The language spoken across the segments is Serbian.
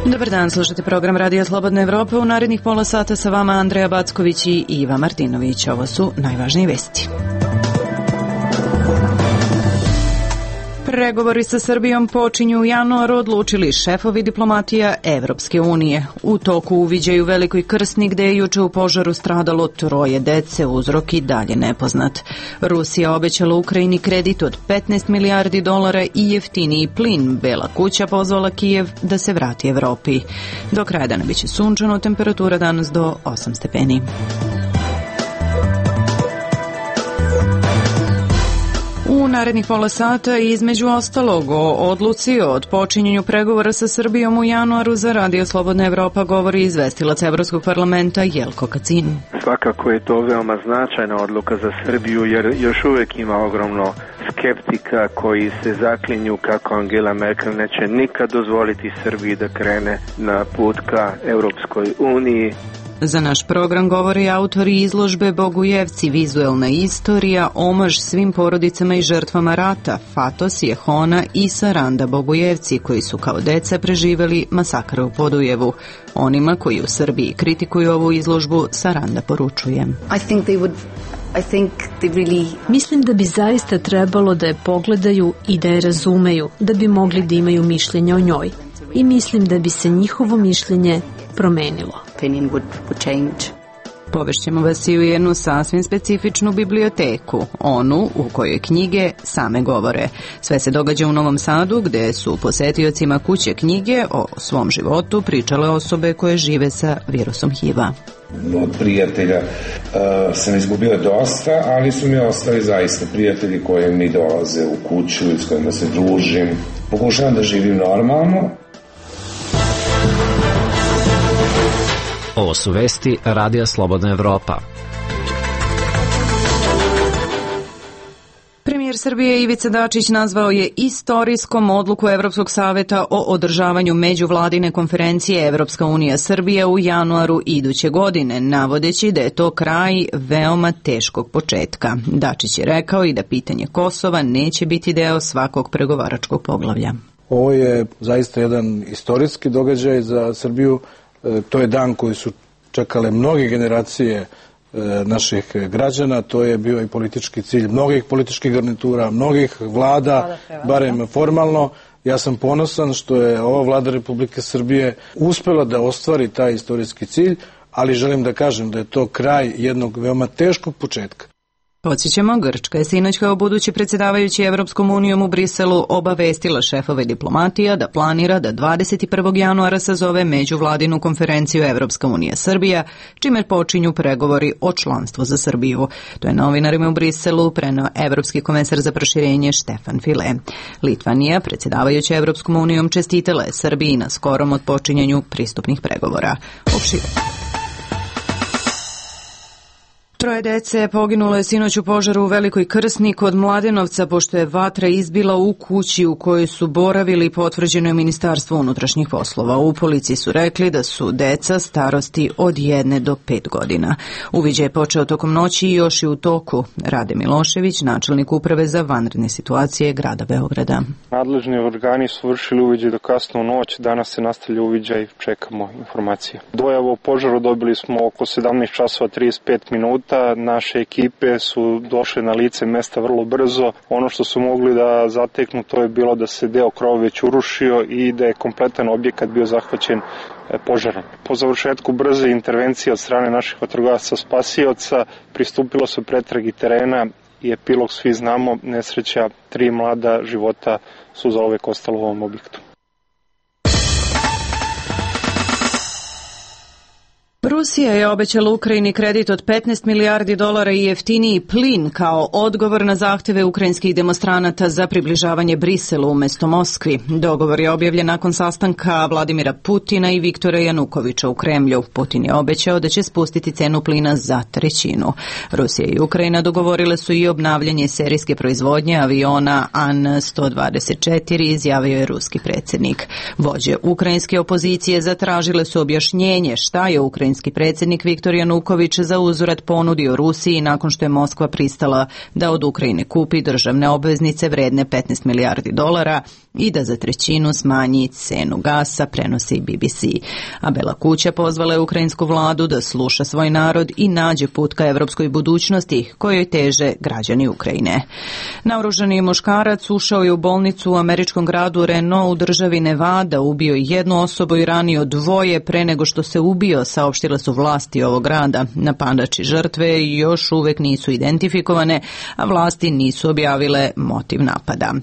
Dobar dan, slušate program Radija Slobodna Evropa. U narednih pola sata sa vama Andreja Backović i Iva Martinović. Ovo su najvažnije vesti. Pregovori sa Srbijom počinju u januaru, odlučili šefovi diplomatija Evropske unije. U toku uviđaju Velikoj Krsni, gde je juče u požaru stradalo 3 dece, uzrok i dalje nepoznat. Rusija obećala Ukrajini kredit od 15 milijardi dolara i jeftiniji plin. Bela kuća pozvala Kijev da se vrati Evropi. Do kraja dana biće sunčano, temperatura danas do 8 stepeni. U narednih pola sata između ostalog o odluci o odpočinjenju pregovora sa Srbijom u januaru za Radio Slobodna Evropa govori izvestilac Evropskog parlamenta Jelko Kacin. Svakako je to veoma značajna odluka za Srbiju jer još uvijek ima ogromno skeptika koji se zaklinju kako Angela Merkel neće nikad dozvoliti Srbiji da krene na put ka Europskoj uniji. Za naš program govori autori izložbe Bogujevci, vizuelna istorija, omaž svim porodicama i žrtvama rata, Fatos, Jehona i Saranda Bogujevci, koji su kao deca preživeli masakr u Podujevu. Onima koji u Srbiji kritikuju ovu izložbu, Saranda poručuje. Mislim da bi zaista trebalo da je pogledaju i da je razumeju, da bi mogli da imaju mišljenje o njoj. I mislim da bi se njihovo mišljenje promenilo. Povešćemo vas i u jednu sasvim specifičnu biblioteku, onu u kojoj knjige same govore. Sve se događa u Novom Sadu, gde su posetiocima kuće knjige o svom životu pričale osobe koje žive sa virusom HIV-a. Od prijatelja sam izgubila dosta, ali su mi ostali zaista prijatelji koji mi dolaze u kuću i s kojima se družim. Pokušavam da živim normalno. Ovo su vesti Radija Slobodna Evropa. Premijer Srbije Ivica Dačić nazvao je istorijskom odluku Evropskog saveta o održavanju međuvladine konferencije Evropska unija Srbija u januaru iduće godine, navodeći da je to kraj veoma teškog početka. Dačić je rekao i da pitanje Kosova neće biti deo svakog pregovaračkog poglavlja. Ovo je zaista jedan istorijski događaj za Srbiju. To je dan koji su čekale mnoge generacije naših građana, to je bio i politički cilj mnogih političkih garnitura, mnogih vlada, barem formalno. Ja sam ponosan što je ova vlada Republike Srbije uspela da ostvari taj istorijski cilj, ali želim da kažem da je to kraj jednog veoma teškog početka. Podsjećamo, Grčka je sinoć kao budući predsjedavajući Evropskom unijom u Briselu obavestila šefove diplomatija da planira da 21. januara sazove međuvladinu konferenciju Evropska unija Srbija, čime počinju pregovori o članstvu za Srbiju. To je novinarima u Briselu preneo Evropski komesar za proširenje Štefan File. Litvanija, predsjedavajuća Evropskom unijom, čestitala je Srbiji na skorom otpočinjanju pristupnih pregovora. 3 dece poginulo je sinoć u požaru u Velikoj Krsni kod Mladenovca, pošto je vatra izbila u kući u kojoj su boravili, potvrđeno je Ministarstvo unutrašnjih poslova. U policiji su rekli da su deca starosti od 1 do 5 godina. Uviđaj je počeo tokom noći i još je u toku. Rade Milošević, načelnik uprave za vanredne situacije grada Beograda. Nadležni organi su vršili uviđaj do kasno u noć, danas se nastavlja uviđaj, čekamo informacije. Dojavu o požaru dobili smo oko 17 časova 35 minuta. Naše ekipe su došle na lice mesta vrlo brzo. Ono što su mogli da zateknu, to je bilo da se deo krova već urušio i da je kompletan objekat bio zahvaćen požarom. Po završetku brze intervencije od strane naših vatrogasaca spasioca pristupilo se pretragi terena i epilog svi znamo, nesreća 3 mlada života su zauvek ostalo u ovom objektu. Rusija je obećala Ukrajini kredit od 15 milijardi dolara i jeftiniji plin kao odgovor na zahteve ukrajinskih demonstranata za približavanje Briselu umjesto Moskvi. Dogovor je objavljen nakon sastanka Vladimira Putina i Viktora Janukovića u Kremlju. Putin je obećao da će spustiti cenu plina za 1/3. Rusija i Ukrajina dogovorile su i obnavljanje serijske proizvodnje aviona An-124, izjavio je ruski predsjednik. Vođe ukrajinske opozicije zatražile su objašnjenje šta je ukrajinski predsjednik Viktor Januković za uzvrat ponudio Rusiji nakon što je Moskva pristala da od Ukrajine kupi državne obveznice vredne 15 milijardi dolara i da za 1/3 smanji cenu gasa, prenosi BBC. A Bela kuća pozvala je ukrajinsku vladu da sluša svoj narod i nađe put ka evropskoj budućnosti kojoj teže građani Ukrajine. Naoružani muškarac ušao je u bolnicu u američkom gradu Reno u državi Nevada, ubio jednu osobu i ranio 2 pre nego što se ubio, saopštile su vlasti ovog grada. Napadači žrtve još uvek nisu identifikovane, a vlasti nisu objavile motiv napada.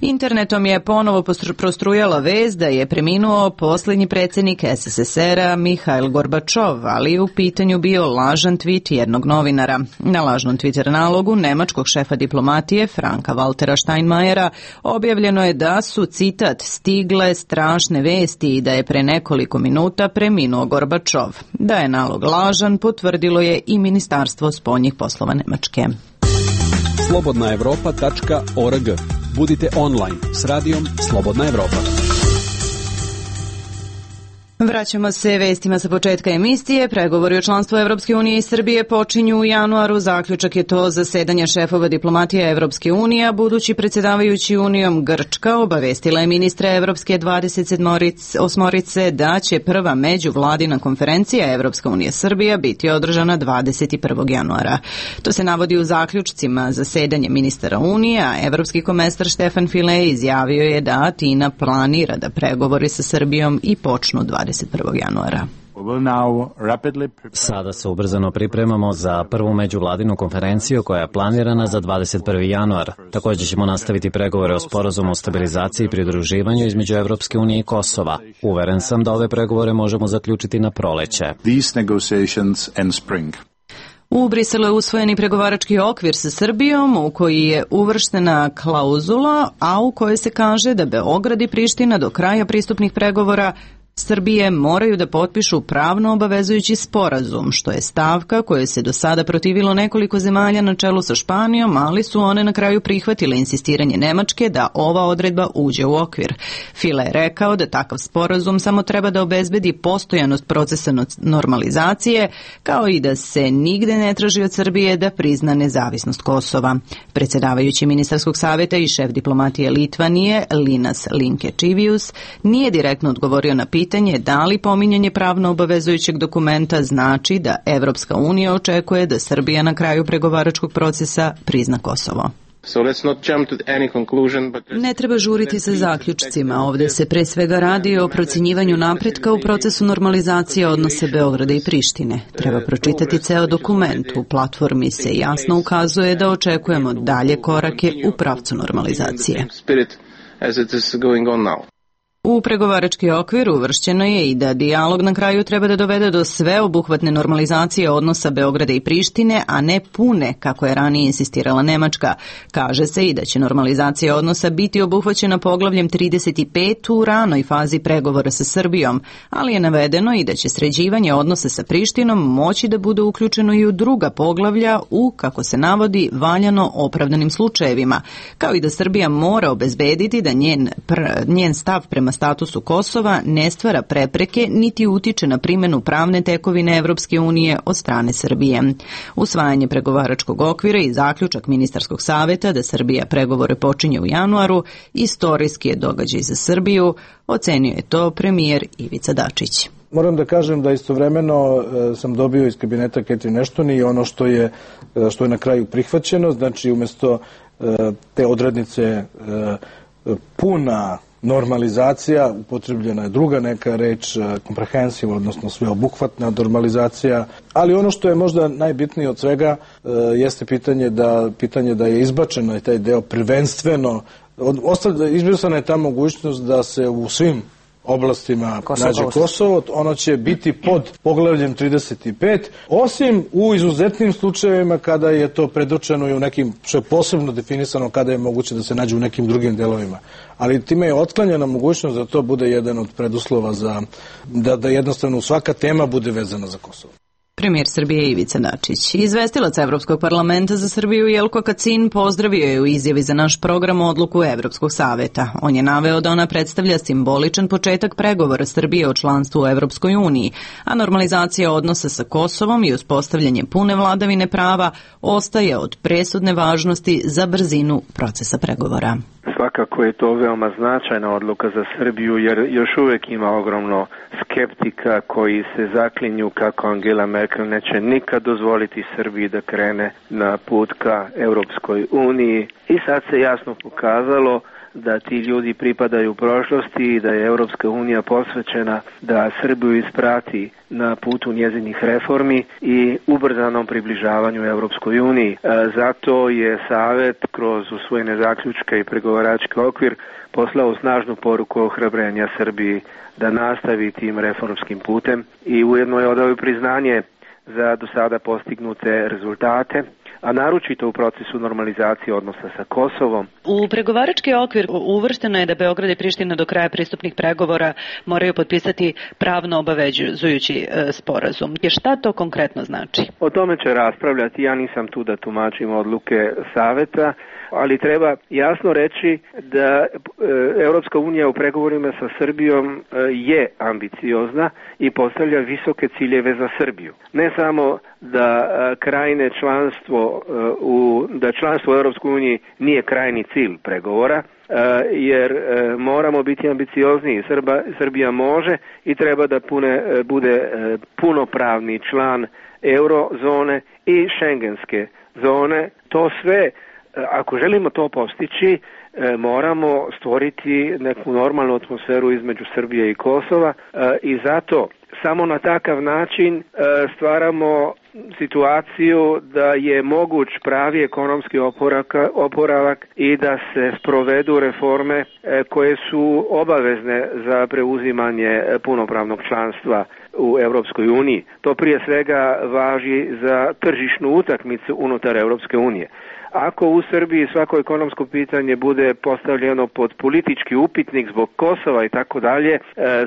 Internetom je ponovo prostrujala vest da je preminuo posljednji predsjednik SSSR-a Mihail Gorbačov, ali je u pitanju bio lažan tvit jednog novinara. Na lažnom Twitter nalogu nemačkog šefa diplomatije Franka Waltera Steinmeiera objavljeno je da su, citat, stigle strašne vesti i da je pre nekoliko minuta preminuo Gorbačov. Da je nalog lažan potvrdilo je i Ministarstvo spoljnih poslova Nemačke. slobodnaevropa.org. Budite online s radijom Slobodna Evropa. Vraćamo se vestima sa početka emisije. Pregovori o članstvu Evropske unije i Srbije počinju u januaru. Zaključak je to zasedanja šefova diplomatije Evropske unije, a budući predsjedavajući Unijom Grčka obavestila je ministre Evropske 28 da će prva međuvladina konferencija Evropska unija Srbija biti održana 21. januara. To se navodi u zaključcima zasedanja ministara Unije, a evropski komesar Štefan File izjavio je da Atina planira da pregovori sa Srbijom i počnu 21. januara. Sada se ubrzano pripremamo za prvu međuvladinu konferenciju koja je planirana za 21. januar. Također ćemo nastaviti pregovore o sporazumu o stabilizaciji i pridruživanju između Evropske unije i Kosova. Uveren sam da ove pregovore možemo zaključiti na proleće. U Briselu je usvojen i pregovarački okvir sa Srbijom u koji je uvrštena klauzula, a u kojoj se kaže da Beograd i Priština do kraja pristupnih pregovora Srbije moraju da potpišu pravno obavezujući sporazum, što je stavka koje se do sada protivilo nekoliko zemalja na čelu sa Španijom, ali su one na kraju prihvatile insistiranje Nemačke da ova odredba uđe u okvir. File je rekao da takav sporazum samo treba da obezbedi postojanost procesa normalizacije, kao i da se nigde ne traži od Srbije da prizna nezavisnost Kosova. Predsjedavajući ministarskog savjeta i šef diplomatije Litvanije, Linas Linkevičius, nije direktno odgovorio na pitanje da li pominjanje pravno obavezujućeg dokumenta znači da Evropska unija očekuje da Srbija na kraju pregovaračkog procesa prizna Kosovo. Ne treba žuriti sa zaključcima. Ovdje se pre svega radi o procjenjivanju napretka u procesu normalizacije odnose Beograda i Prištine. Treba pročitati ceo dokument. U platformi se jasno ukazuje da očekujemo dalje korake u pravcu normalizacije. U pregovarački okvir uvršćeno je i da dijalog na kraju treba da dovede do sveobuhvatne normalizacije odnosa Beograda i Prištine, a ne pune, kako je ranije insistirala Nemačka. Kaže se i da će normalizacija odnosa biti obuhvaćena poglavljem 35 u ranoj fazi pregovora sa Srbijom, ali je navedeno i da će sređivanje odnosa sa Prištinom moći da bude uključeno i u druga poglavlja u, kako se navodi, valjano opravdanim slučajevima, kao i da Srbija mora obezbediti da njen stav prema statusu Kosova ne stvara prepreke niti utiče na primjenu pravne tekovine Evropske unije od strane Srbije. Usvajanje pregovaračkog okvira i zaključak ministarskog savjeta da Srbija pregovore počinje u januaru istorijski je događaj za Srbiju, ocenio je to premijer Ivica Dačić. Moram da kažem da istovremeno sam dobio iz kabineta Catherine Ashton i ono što je na kraju prihvaćeno, znači umjesto te odrednice puna normalizacija, upotrebljena je druga neka reč, comprehensive, odnosno sveobuhvatna normalizacija, ali ono što je možda najbitnije od svega jeste pitanje da je izbačeno taj deo prvenstveno, izbrisana je ta mogućnost da se u svim oblastima nađe Kosovo, ono će biti pod poglavljem 35, osim u izuzetnim slučajevima kada je to predočeno i u nekim, što je posebno definisano kada je moguće da se nađe u nekim drugim delovima. Ali time je otklanjena mogućnost da to bude jedan od preduslova za da jednostavno svaka tema bude vezana za Kosovo. Premijer Srbije Ivica Dačić. Izvestilac Evropskog parlamenta za Srbiju Jelko Kacin pozdravio je u izjavi za naš program odluku Evropskog saveta. On je naveo da ona predstavlja simboličan početak pregovora Srbije o članstvu u Evropskoj uniji, a normalizacija odnosa sa Kosovom i uspostavljanje pune vladavine prava ostaje od presudne važnosti za brzinu procesa pregovora. Svakako je to veoma značajna odluka za Srbiju jer još uvijek ima ogromno skeptika koji se zaklinju kako Angela Merkel neće nikad dozvoliti Srbiji da krene na put ka Europskoj uniji. I sad se jasno pokazalo da ti ljudi pripadaju prošlosti i da je Europska unija posvećena da Srbiju isprati na putu njezinih reformi i ubrzanom približavanju Europskoj uniji. Zato je Savet kroz usvojene zaključke i pregovarački okvir poslao snažnu poruku ohrabrenja Srbiji da nastavi tim reformskim putem i ujedno je odao priznanje za do sada postignute rezultate, a naročito u procesu normalizacije odnosa sa Kosovom. U pregovarački okvir uvršteno je da Beograd i Priština do kraja pristupnih pregovora moraju potpisati pravno obavezujući sporazum. Šta to konkretno znači? O tome će raspravljati, ja nisam tu da tumačim odluke Saveta, ali treba jasno reći da Europska unija u pregovorima sa Srbijom je ambiciozna i postavlja visoke ciljeve za Srbiju. Ne samo da krajnje članstvo da članstvo u Europskoj uniji nije krajni cilj pregovora, jer moramo biti ambiciozniji. Srbija može i treba da bude punopravni član eurozone i šengenske zone. To sve, ako želimo to postići, moramo stvoriti neku normalnu atmosferu između Srbije i Kosova i zato samo na takav način stvaramo situaciju da je moguć pravi ekonomski oporavak i da se sprovedu reforme koje su obavezne za preuzimanje punopravnog članstva u Europskoj uniji. To prije svega važi za tržišnu utakmicu unutar Europske unije. Ako u Srbiji svako ekonomsko pitanje bude postavljeno pod politički upitnik zbog Kosova i tako dalje,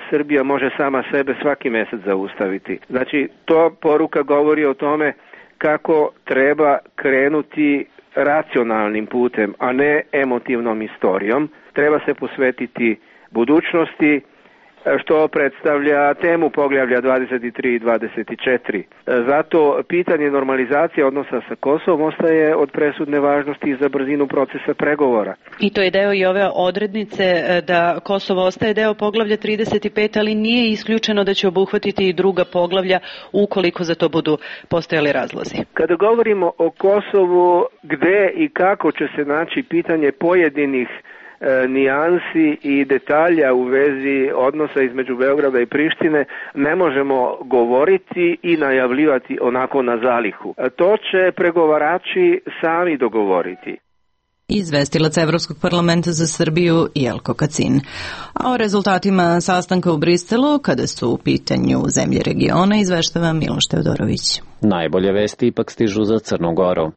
Srbija može sama sebe svaki mjesec zaustaviti. Znači, to poruka govori o tome kako treba krenuti racionalnim putem, a ne emotivnom istorijom. Treba se posvetiti budućnosti, što predstavlja temu poglavlja 23 i 24. Zato pitanje normalizacije odnosa sa Kosovom ostaje od presudne važnosti za brzinu procesa pregovora. I to je deo i ove odrednice da Kosovo ostaje deo poglavlja 35, ali nije isključeno da će obuhvatiti i druga poglavlja ukoliko za to budu postojali razlozi. Kada govorimo o Kosovu, gde i kako će se naći pitanje pojedinih nijansi i detalja u vezi odnosa između Beograda i Prištine, ne možemo govoriti i najavljivati onako na zalihu. To će pregovarači sami dogovoriti. Izvestilac Evropskog parlamenta za Srbiju Jelko Kacin. A o rezultatima sastanka u Briselu, kada su u pitanju zemlje regiona, izveštava Miloš Teodorović. Najbolje vesti ipak stižu za Crnu Goru.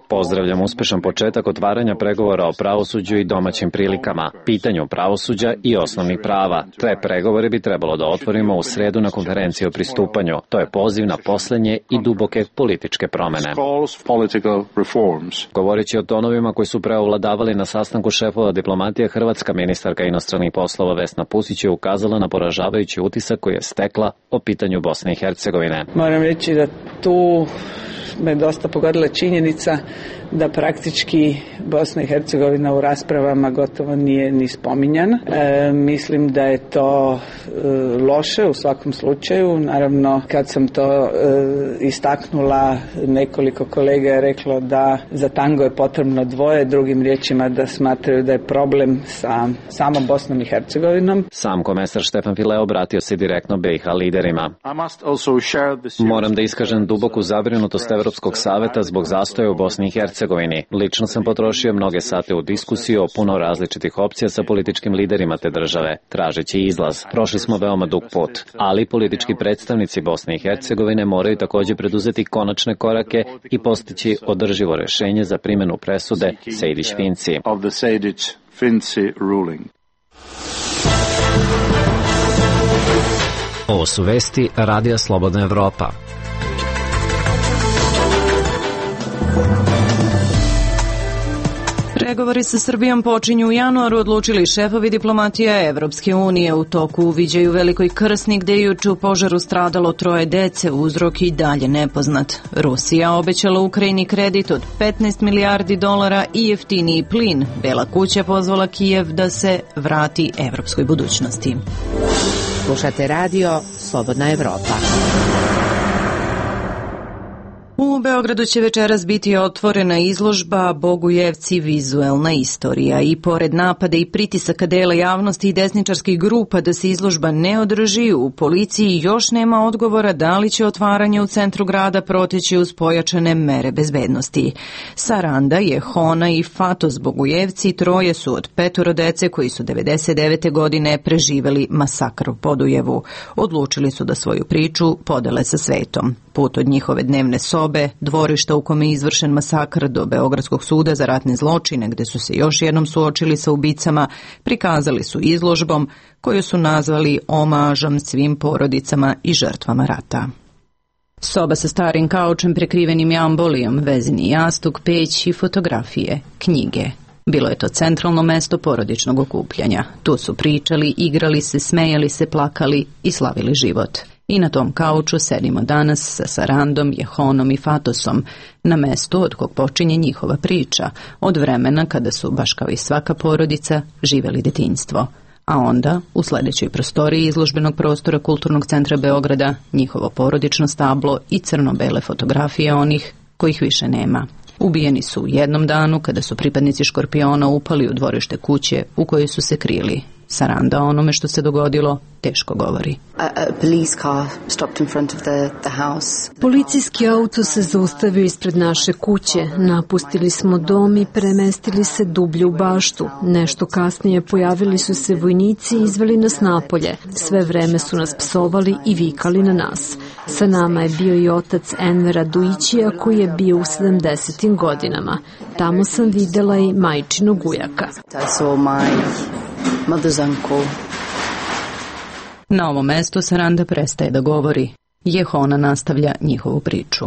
Pozdravljam uspešan početak otvaranja pregovora o pravosuđu i domaćim prilikama, pitanju pravosuđa i osnovnih prava. Te pregovore bi trebalo da otvorimo u sredu na konferenciji o pristupanju. To je poziv na poslednje i duboke političke promene. Govoreći o tonovima koji su preovladavali na sastanku šefova diplomatije, hrvatska ministarka inostranih poslova Vesna Pusić je ukazala na poražavajući utisak koji je stekla o pitanju Bosne i Hercegovine. Moram reći da tu me dosta pogodila činjenica da praktički Bosna i Hercegovina u raspravama gotovo nije ni spominjana. Mislim da je to loše u svakom slučaju. Naravno, kad sam to istaknula, nekoliko kolega je reklo da za tango je potrebno dvoje, drugim riječima da smatraju da je problem sa samom Bosnom i Hercegovinom. Sam komesar Štefan File obratio se direktno BiH liderima. Moram da iskažem duboku zabrinutost Evropskog saveta zbog zastoja u Bosni i Hercegovini. Lično sam potrošio mnoge sate u diskusiju o puno različitih opcija sa političkim liderima te države, tražeći izlaz. Prošli smo veoma dug put, ali politički predstavnici Bosne i Hercegovine moraju također preduzeti konačne korake i postići održivo rešenje za primjenu presude Sejdić-Finci. Ovo su vesti Radija Slobodna Evropa. Pregovori sa Srbijom počinju u januaru, odlučili šefovi diplomatija Evropske unije. U toku uviđaju Velikoj Krsni, gde je juče u požaru stradalo 3 dece, uzrok i dalje nepoznat. Rusija obećala Ukrajini kredit od 15 milijardi dolara i jeftiniji plin. Bela kuća pozvala Kijev da se vrati evropskoj budućnosti. Slušate radio Slobodna Evropa. U Beogradu će večeras biti otvorena izložba Bogujevci vizuelna istorija i pored napada i pritisaka dela javnosti i desničarskih grupa da se izložba ne održi, u policiji još nema odgovora da li će otvaranje u centru grada proteći uz pojačane mere bezbednosti. Saranda, Jehona i Fatos Bogujevci, 3 su od 5 dece koji su 99. godine preživeli masakr u Podujevu. Odlučili su da svoju priču podele sa svetom. Put od njihove dnevne sobe, dvorišta u kome je izvršen masakr, do Beogradskog suda za ratne zločine, gde su se još jednom suočili sa ubicama, prikazali su izložbom koju su nazvali omažom svim porodicama i žrtvama rata. Soba sa starim kaučem prekrivenim jambolijom, vezini jastuk, peć i fotografije, knjige. Bilo je to centralno mesto porodičnog okupljanja. Tu su pričali, igrali se, smejali se, plakali i slavili život. I na tom kauču sedimo danas sa Sarandom, Jehonom i Fatosom, na mestu od kog počinje njihova priča, od vremena kada su, baš kao i svaka porodica, živeli detinjstvo. A onda, u sledećoj prostoriji izložbenog prostora Kulturnog centra Beograda, njihovo porodično stablo i crno-bele fotografije onih kojih više nema. Ubijeni su u jednom danu kada su pripadnici Škorpiona upali u dvorište kuće u kojoj su se krili. Saranda o onome što se dogodilo teško govori. Policijski auto se zaustavio ispred naše kuće. Napustili smo dom i premestili se dublje u baštu. Nešto kasnije pojavili su se vojnici i izveli nas napolje. Sve vreme su nas psovali i vikali na nas. Sa nama je bio i otac Envera Dujićija koji je bio u 70. godinama. Tamo sam videla i majčinog ujaka. Na ovom mestu Saranda prestaje da govori. Jehona nastavlja njihovu priču.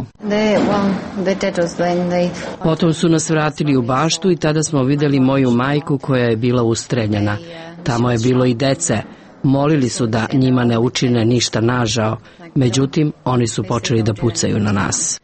Potom su nas vratili u baštu i tada smo videli moju majku koja je bila ustreljena. Tamo je bilo i dece. Molili su da njima ne učine ništa nažao. Međutim, oni su počeli da pucaju na nas.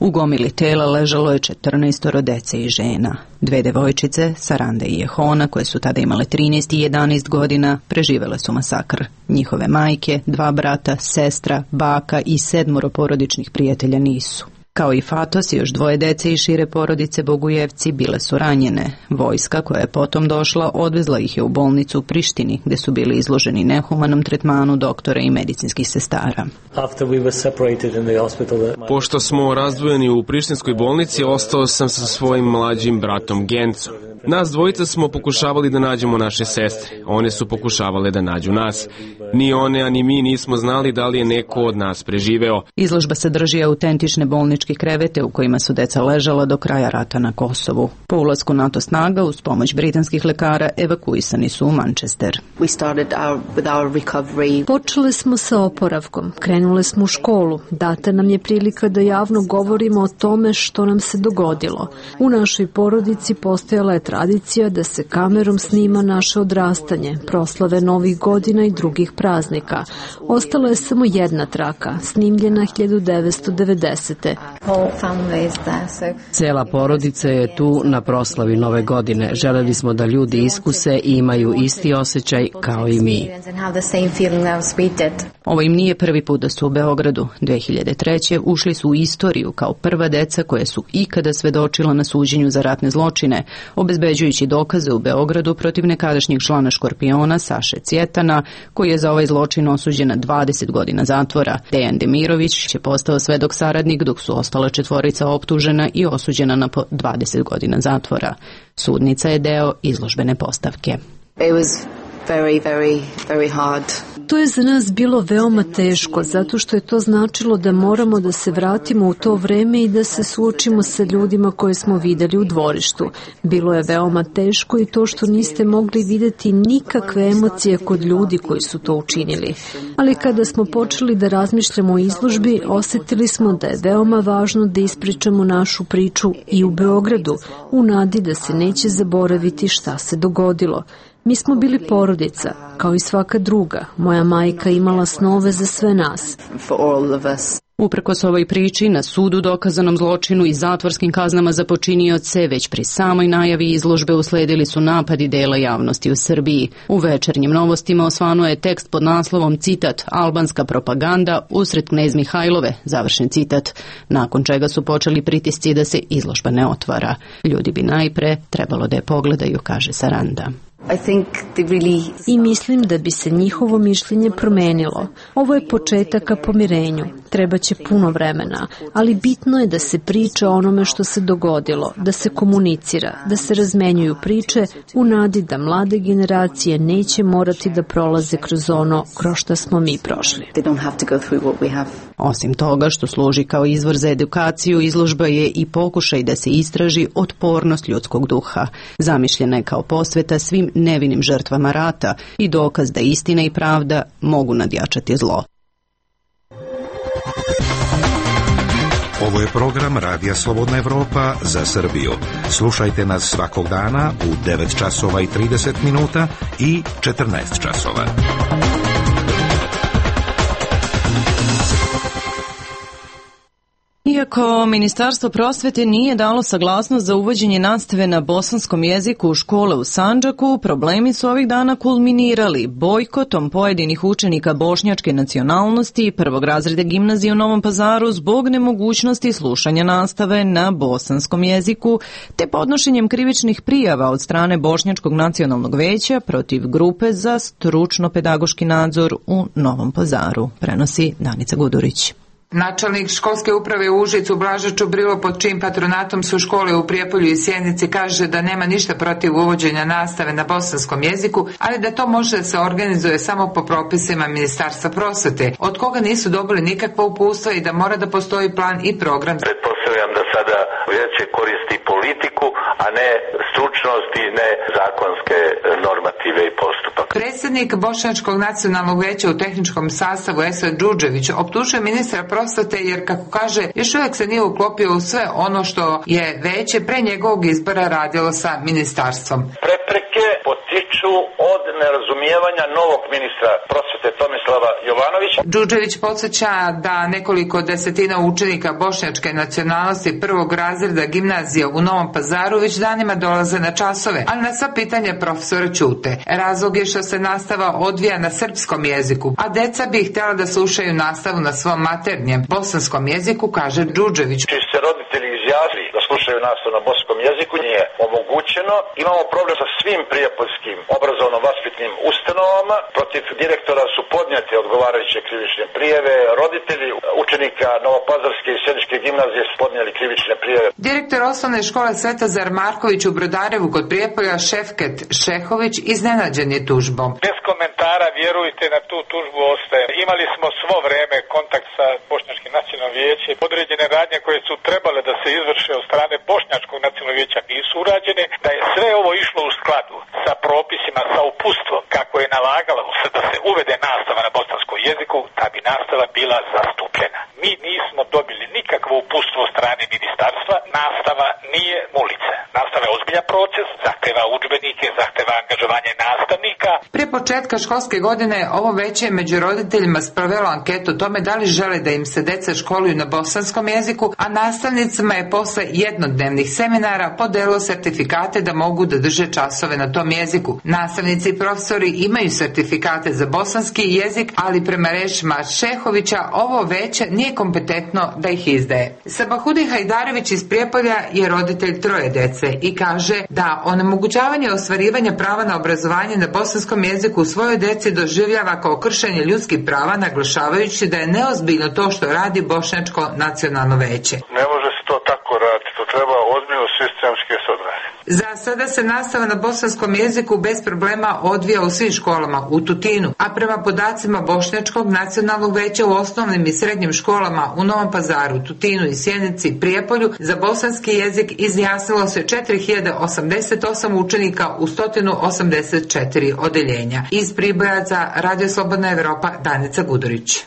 U gomili tela ležalo je 14 dece i žena. 2 devojčice, Saranda i Jehona, koje su tada imale 13 i 11 godina, preživele su masakr. Njihove majke, 2 brata, sestra, baka i 7 porodičnih prijatelja nisu. Kao i Fatos i još 2 dece i šire porodice Bogujevci bile su ranjene. Vojska koja je potom došla odvezla ih je u bolnicu u Prištini, gde su bili izloženi nehumanom tretmanu doktora i medicinskih sestara. Pošto smo razdvojeni u prištinskoj bolnici, ostao sam sa svojim mlađim bratom Gencom. Nas dvojica smo pokušavali da nađemo naše sestre. One su pokušavale da nađu nas. Ni one, a ni mi nismo znali da li je neko od nas preživeo. Izložba sadrži autentične bolničke krevete u kojima su deca ležala do kraja rata na Kosovu. Po ulasku NATO snaga uz pomoć britanskih lekara evakuisani su u Manchester. Počeli smo sa oporavkom, krenule smo u školu. Data nam je prilika da javno govorimo o tome što nam se dogodilo. U našoj porodici postojala je tradicija da se kamerom snima naše odrastanje, proslave novih godina i drugih praznika. Ostala je samo jedna traka, snimljena 1990. Cela porodica je tu na proslavi Nove godine. Želeli smo da ljudi iskuse i imaju isti osjećaj kao i mi. Ovo im nije prvi put da su u Beogradu. 2003. ušli su u istoriju kao prva deca koje su ikada svedočila na suđenju za ratne zločine, obezbeđujući dokaze u Beogradu protiv nekadašnjeg člana Škorpiona Saše Cvjetana, koji je za ovaj zločin osuđen na 20 godina zatvora. Dejan Demirović je postao svedok saradnik, dok su ostala 4 optužena i osuđena na po 20 godina zatvora. Sudnica je deo izložbene postavke. To je za nas bilo veoma teško, zato što je to značilo da moramo da se vratimo u to vreme i da se suočimo sa ljudima koje smo videli u dvorištu. Bilo je veoma teško i to što niste mogli videti nikakve emocije kod ljudi koji su to učinili. Ali kada smo počeli da razmišljamo o izložbi, osetili smo da je veoma važno da ispričamo našu priču i u Beogradu, u nadi da se neće zaboraviti šta se dogodilo. Mi smo bili porodica, kao i svaka druga. Moja majka imala snove za sve nas. Uprkos ovoj priči, na sudu dokazanom zločinu i zatvorskim kaznama za počinioce, već pri samoj najavi izložbe usledili su napadi dela javnosti u Srbiji. U Večernjim novostima osvanuo je tekst pod naslovom, citat, albanska propaganda usred Knez Mihajlove, završen citat, nakon čega su počeli pritisci da se izložba ne otvara. Ljudi bi najpre trebalo da je pogledaju, kaže Saranda. I mislim da bi se njihovo mišljenje promenilo. Ovo je početak ka pomirenju. Trebaće puno vremena, ali bitno je da se priča o onome što se dogodilo, da se komunicira, da se razmenjuju priče u nadi da mlade generacije neće morati da prolaze kroz ono kroz što smo mi prošli. Osim toga što služi kao izvor za edukaciju, izložba je i pokušaj da se istraži otpornost ljudskog duha. Zamišljena je kao posveta svim nevinim žrtvama rata i dokaz da istina i pravda mogu nadjačati zlo. Ovo je program Radija Slobodna Evropa za Srbiju. Slušajte nas svakog dana u 9 časova i 30 minuta i 14 časova. Iako Ministarstvo prosvete nije dalo saglasnost za uvođenje nastave na bosanskom jeziku u škole u Sandžaku, problemi su ovih dana kulminirali bojkotom pojedinih učenika bošnjačke nacionalnosti i prvog razreda gimnazije u Novom Pazaru zbog nemogućnosti slušanja nastave na bosanskom jeziku, te podnošenjem krivičnih prijava od strane Bošnjačkog nacionalnog veća protiv grupe za stručno-pedagoški nadzor u Novom Pazaru, prenosi Danica Gudurić. Načelnik školske uprave u Užicu Blaža Čubrilo, pod čijim patronatom su škole u Prijepolju i Sjenici, kaže da nema ništa protiv uvođenja nastave na bosanskom jeziku, ali da to može da se organizuje samo po propisima Ministarstva prosvete, od koga nisu dobili nikakva uputstva i da mora da postoji plan i program. Pretpostavljam da sada veće koristi politiku, a ne stručnost i ne zakonske normative i postupak. Predsjednik Bošnjačkog nacionalnog veća u tehničkom sastavu Esad Đurđević optužuje ministra prosvete jer, kako kaže, još uvijek se nije uklopio u sve ono što je veće pre njegovog izbora radilo sa ministarstvom. Prepreke potiču od nerazumijevanja novog ministra prosvete Tomislava Jovanovića. Đurđević podsjeća da nekoliko desetina učenika bošnjačke nacionalnosti prvog razreda gimnazije u Novom Pazaru već danima dolaze na časove, ali na sva pitanja profesora ćute. Razlog je što se nastava odvija na srpskom jeziku, a deca bi htjela da slušaju nastavu na svom maternjem bosanskom jeziku, kaže Đurđević. Či se roditelji izjasnili da slušaju nastavu na bosanskom jeziku, nije omogućeno. Imamo problem sa svim prijepoljskim obrazovno-vaspitnim ustanovama. Protiv direktora su podnijete odgovarajuće krivične prijave. Roditelji učenika Novopazarske i Sjeničke gimnazije su podnijeli krivične prijave. Direktor osnovne škole Svetozar Marković u Brodarevu kod Prijepolja Šefket Šehović iznenađen je tužbom. Bez komentara, vjerujte, na tu tužbu ostaje. Imali smo svo vreme kontakt sa Bošnjačkim nacionalnim vijećem. Određene radnje koje su trebale da se izvrše od strane Bošnjačkog nacionalnog vijeća nisu urađene, da je sve ovo išlo u skladu sa propisima, sa uputstvom kako je nalagalo se da se uvede nastava na bosanskom jeziku, da bi nastava bila zastupljena. Mi nismo dobili nikakvo uputstvo od strane ministarstva, nastava nije ulica. Nastava je ozbiljan proces, zahteva udžbenike, zahteva angažovanje nastavnika. Pre početka školske godine ovo veće je među roditeljima sprovelo anketu o tome da li žele da im se deca školuju na bosanskom jeziku, a nastavnicima je posle jednodnevnih seminara podelilo sertifikate da mogu da drže časove na tom jeziku. Nastavnici i profesori imaju sertifikate za bosanski jezik, ali prema rečima Šehovića ovo veće nije kompetentno da ih izdaje. Sabahudin Hajdarević iz Prijepolja je roditelj 3 dece i kaže da onemogućavanje ostvarivanja prava na obrazovanje na bosanskom jeziku u svojoj deci doživljava kao kršenje ljudskih prava, naglašavajući da je neozbiljno to što radi Bošnjačko nacionalno veće. Ne može se to tako raditi, to treba ozbiljno sistemski se odraditi. Za sada se nastava na bosanskom jeziku bez problema odvija u svim školama u Tutinu, a prema podacima Bošnjačkog nacionalnog veća u osnovnim i srednjim školama u Novom Pazaru, Tutinu i Sjenici i Prijepolju za bosanski jezik izjasnilo se 4088 učenika u 184 odeljenja. Iz Priboja za Radio Slobodna Evropa, Danica Budorić.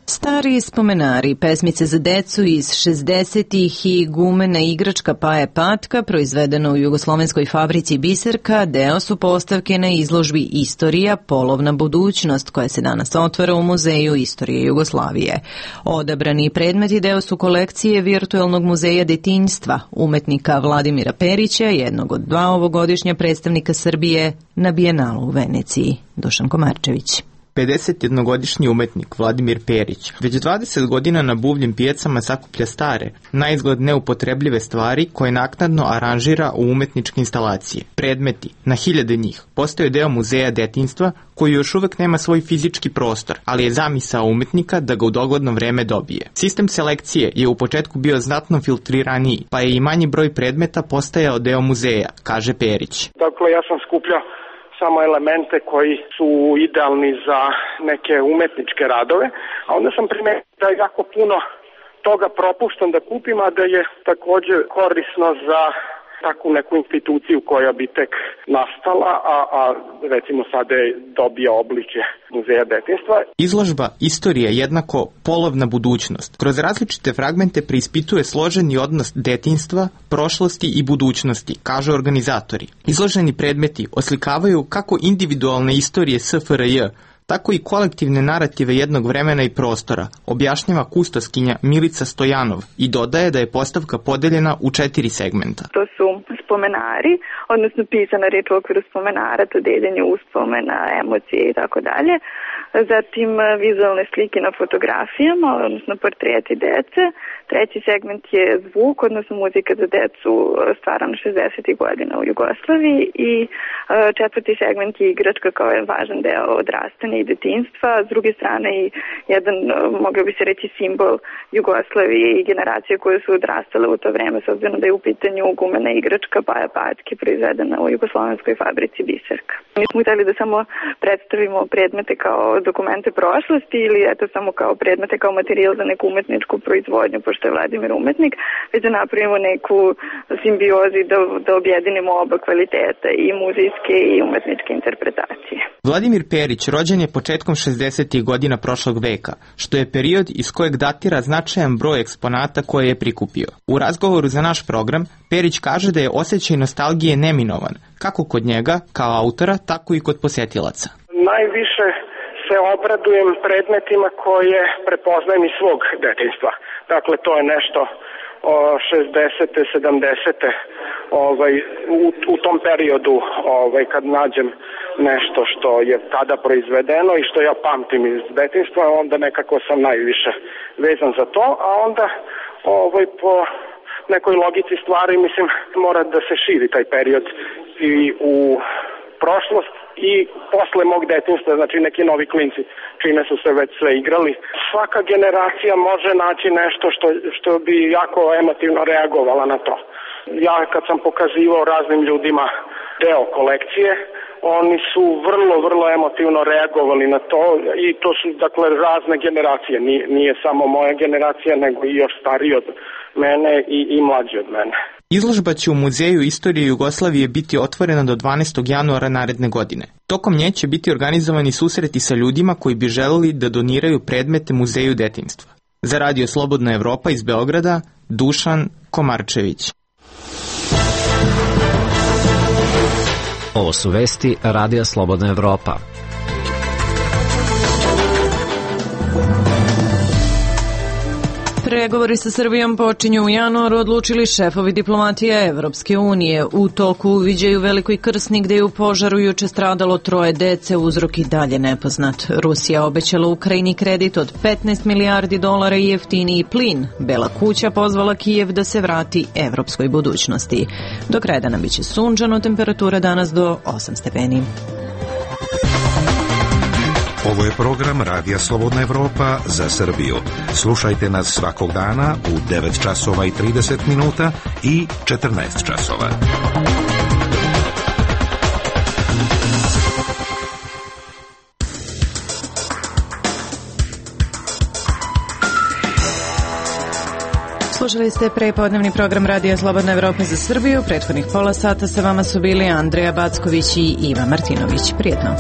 Stari spomenari, pesmice za decu iz 60-ih i gumena igračka Paje Patka, proizvedeno u jugoslovenskoj fabrici Biserka, deo su postavke na izložbi Istorija, polovna budućnost, koja se danas otvara u Muzeju istorije Jugoslavije. Odabrani predmeti deo su kolekcije Virtualnog muzeja detinjstva, umetnika Vladimira Perića, jednog od dva ovogodišnja predstavnika Srbije na Bijenalu u Veneciji. Dušan Komarčević. 51-godišnji umetnik Vladimir Perić već 20 godina na buvljim pijacama sakuplja stare, naizgled neupotrebljive stvari koje naknadno aranžira u umetničke instalacije. Predmeti, na hiljade njih, postaju deo muzeja detinjstva koji još uvek nema svoj fizički prostor, ali je zamisao umetnika da ga u dogledno vreme dobije. Sistem selekcije je u početku bio znatno filtriraniji, pa je i manji broj predmeta postajao deo muzeja, kaže Perić. Dakle, ja sam skupljao samo elemente koji su idealni za neke umetničke radove, a onda sam primetio da jako puno toga propuštam da kupim, a da je također korisno za takvu neku instituciju koja bi tek nastala, a recimo sada je dobija obličje Muzeja detinjstva. Izložba Istorija jednako polovna budućnost kroz različite fragmente preispituje složeni odnos detinjstva, prošlosti i budućnosti, kažu organizatori. Izloženi predmeti oslikavaju kako individualne istorije SFRJ, tako i kolektivne narative jednog vremena i prostora, objašnjava kustoskinja Milica Stojanov i dodaje da je postavka podeljena u 4 segmenta. To su spomenari, odnosno pisana reč u okviru spomenara, to deljenje uspomena, emocije i tako dalje. Zatim vizualne slike na fotografijama, odnosno portreti dece. Treći segment je zvuk, odnosno muzika za decu stvarana 60. godina u Jugoslaviji i četvrti segment je igračka kao je važan deo odrastanja i detinjstva. S druge strane i jedan, mogao bi se reći, simbol Jugoslavije i generacije koje su odrastale u to vreme, s obzirom da je u pitanju gumena igračka Paja Patke proizvedena u jugoslovenskoj fabrici Biserka. Mi smo hteli da samo predstavimo predmete kao dokumente prošlosti ili eto samo kao predmete kao materijal za neku umetničku proizvodnju, pošto je Vladimir umetnik, već da napravimo neku simbiozu i da objedinimo oba kvaliteta, i muzejske i umetničke interpretacije. Vladimir Perić rođen je početkom 60. godina prošlog veka, što je period iz kojeg datira značajan broj eksponata koje je prikupio. U razgovoru za naš program, Perić kaže da je osjećaj nostalgije neminovan, kako kod njega, kao autora, tako i kod posetilaca. Najviše se obradujem predmetima koje prepoznajem iz svog detinjstva. Dakle, to je nešto 60. 70. U tom periodu kad nađem nešto što je tada proizvedeno i što ja pamtim iz detinjstva, onda nekako sam najviše vezan za to, a onda po nekoj logici stvari, mislim, mora da se širi taj period i u prošlost i posle mog detinjstva, znači neki novi klinci čime su se već sve igrali. Svaka generacija može naći nešto što bi jako emotivno reagovala na to. Ja kad sam pokazivao raznim ljudima deo kolekcije, oni su vrlo emotivno reagovali na to i to su dakle razne generacije. Nije samo moja generacija, nego i još stariji od mene i mlađi od mene. Izložba će u Muzeju istorije Jugoslavije biti otvorena do 12. januara naredne godine. Tokom nje će biti organizovani susreti sa ljudima koji bi želeli da doniraju predmete Muzeju detinjstva. Za Radio Slobodna Evropa iz Beograda, Dušan Komarčević. Ovo su vesti Radija Slobodna Evropa. Pregovori sa Srbijom počinju u januaru, odlučili šefovi diplomatije Evropske unije. U toku uviđaju Velikoj Krsni gde je u požaru juče stradalo 3 dece, uzrok i dalje nepoznat. Rusija obećala Ukrajini kredit od 15 milijardi dolara i jeftiniji plin. Bela kuća pozvala Kijev da se vrati evropskoj budućnosti. Do kraja dana biće sunčano, temperatura danas do 8 stepeni. Ovo je program Radija Slobodna Evropa za Srbiju. Slušajte nas svakog dana u 9 časova i 30 minuta i 14 časova. Slušali ste prepodnevni program Radija Slobodna Evropa za Srbiju. Prethodnih pola sata sa vama su bili Andreja Backović i Iva Martinović. Prijetno.